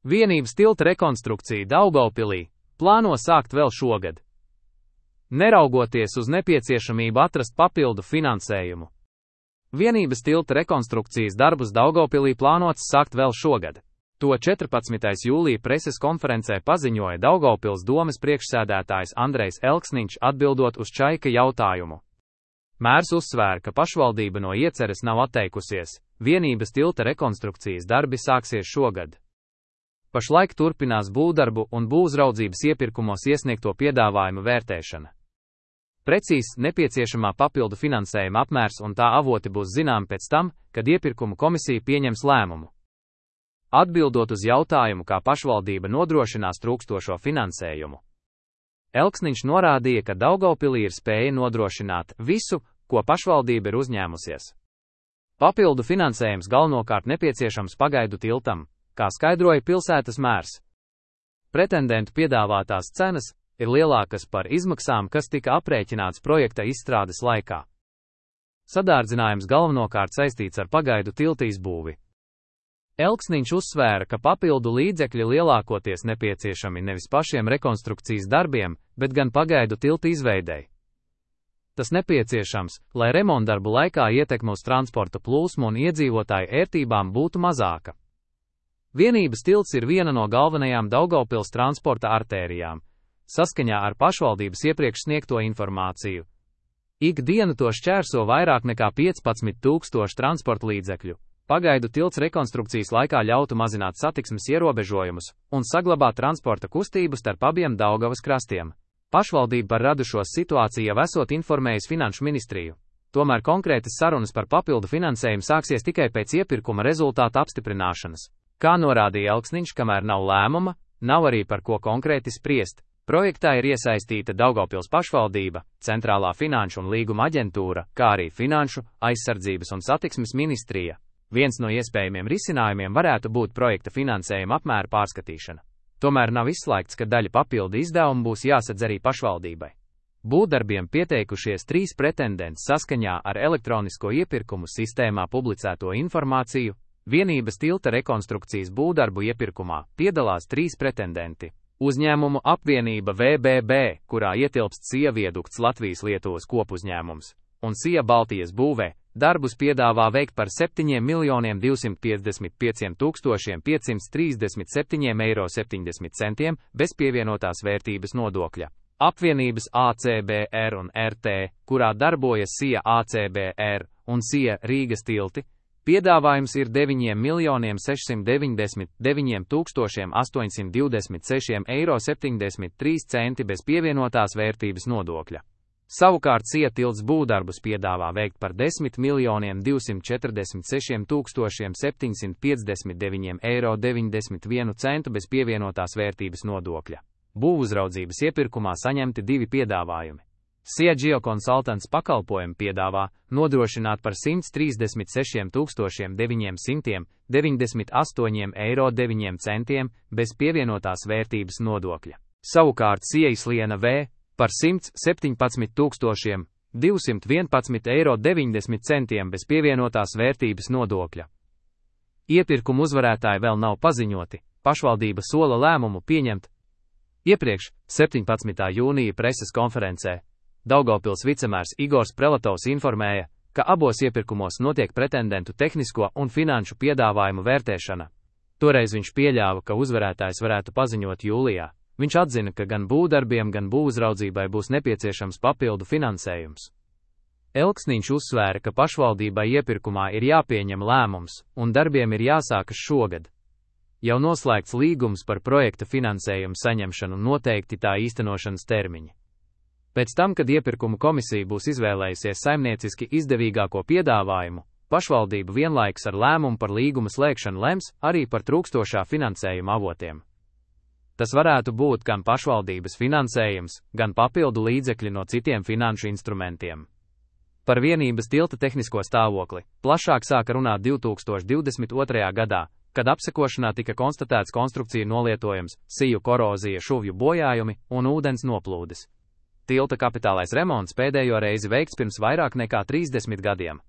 Vienības tilta rekonstrukcija Daugavpilī plāno sākt vēl šogad, neraugoties uz nepieciešamību atrast papildu finansējumu. Vienības tilta rekonstrukcijas darbus Daugavpilī plānots sākt vēl šogad. To 14. jūlija preses konferencē paziņoja Daugavpils domes priekšsēdētājs Andrejs Elksniņš atbildot uz Čaika jautājumu. Mērs uzsvēra, ka pašvaldība no ieceres nav atteikusies, vienības tilta rekonstrukcijas darbi sāksies šogad. Pašlaik turpinās būvdarbu un būvuzraudzības iepirkumos iesniegto piedāvājumu vērtēšana. Precīzs nepieciešamā papildu finansējuma apmērs un tā avoti būs zināmi pēc tam, kad iepirkumu komisija pieņems lēmumu. Atbildot uz jautājumu, kā pašvaldība nodrošinās trūkstošo finansējumu, Elksniņš norādīja, ka Daugavpilī ir spēja nodrošināt visu, ko pašvaldība ir uzņēmusies. Papildu finansējums galvenokārt nepieciešams pagaidu tiltam, kā skaidroja pilsētas mērs. Pretendentu piedāvātās cenas ir lielākas par izmaksām, kas tika aprēķināts projekta izstrādes laikā. Sadārdzinājums galvenokārt saistīts ar pagaidu tilta izbūvi. Elksniņš uzsvēra, ka papildu līdzekļi lielākoties nepieciešami nevis pašiem rekonstrukcijas darbiem, bet gan pagaidu tilta izveidei. Tas nepieciešams, lai remontdarbu laikā ietekme uz transporta plūsmu un iedzīvotāju ērtībām būtu mazāka. Vienības tilts ir viena no galvenajām Daugavpils transporta artērijām, saskaņā ar pašvaldības iepriekš sniegto informāciju. Ikdienu to šķērso vairāk nekā 15,000 transporta līdzekļu. Pagaidu tilts rekonstrukcijas laikā ļautu mazināt satiksmes ierobežojumus un saglabāt transporta kustību starp abiem Daugavas krastiem. Pašvaldība par radušos situāciju jau esot informējis Finanšu ministriju. Tomēr konkrētas sarunas par papildu finansējumu sāksies tikai pēc iepirkuma rezultāta apstiprināšanas. Kā norādīja Elksniņš, kamēr nav lēmuma, nav arī par ko konkrēti spriest. Projektā ir iesaistīta Daugavpils pašvaldība, Centrālā finanšu un līguma aģentūra, kā arī Finanšu, aizsardzības un satiksmes ministrija. Viens no iespējamiem risinājumiem varētu būt projekta finansējuma apmēra pārskatīšana. Tomēr nav izslēgts, ka daļa papildu izdevumu būs jāsadz arī pašvaldībai. Būvdarbiem pieteikušies 3 pretendenti saskaņā ar elektronisko iepirkumu sistēmā publicēto informāciju. Vienības tilta rekonstrukcijas būvdarbu iepirkumā piedalās 3 pretendenti. Uzņēmumu apvienība VBB, kurā ietilpst SIA viadukts Latvijas-Lietuvas kopuzņēmums, un SIA Baltijas būvē, darbus piedāvā veikt par 7,255,537,70 € bez pievienotās vērtības nodokļa. Apvienības ACBR un RT, kurā darbojas SIA ACBR un SIA Rīgas tilti, piedāvājums ir 9,699,826,73 € bez pievienotās vērtības nodokļa. Savukārt SIA tilts būvdarbus piedāvā veikt par 10,246,759,91 € bez pievienotās vērtības nodokļa. Būvuzraudzības iepirkumā saņemti 2 piedāvājumi. SIA Geokonsultants pakalpojumu piedāvā nodrošināt par 136,998,9 € bez pievienotās vērtības nodokļa. Savukārt SIA Izliena V par 117,211,90 € bez pievienotās vērtības nodokļa. Iepirkumu uzvarētāji vēl nav paziņoti, pašvaldība sola lēmumu pieņemt. Iepriekš, 17. jūnija preses konferencē, Daugavpils vicemērs Igors Prelatovs informēja, ka abos iepirkumos notiek pretendentu tehnisko un finanšu piedāvājumu vērtēšana. Toreiz viņš pieļāva, ka uzvarētājs varētu paziņot jūlijā. Viņš atzina, ka gan būvdarbiem, gan būvuzraudzībai būs nepieciešams papildu finansējums. Elksniņš uzsvēra, ka pašvaldībai iepirkumā ir jāpieņem lēmums, un darbiem ir jāsākas šogad. Jau noslēgts līgums par projekta finansējumu saņemšanu noteikti tā īstenošanas termiņi. Pēc tam, kad iepirkumu komisija būs izvēlējusies saimnieciski izdevīgāko piedāvājumu, pašvaldība vienlaikus ar lēmumu par līguma slēgšanu lems arī par trūkstošā finansējuma avotiem. Tas varētu būt gan pašvaldības finansējums, gan papildu līdzekļi no citiem finanšu instrumentiem. Par vienības tilta tehnisko stāvokli plašāk sāka runāt 2022. gadā, kad apsekošanā tika konstatēts konstrukciju nolietojums, siju korozija, šuvju bojājumi un ūdens noplūdes. Tilta kapitālais remonts pēdējo reizi veikts pirms vairāk nekā 30 gadiem.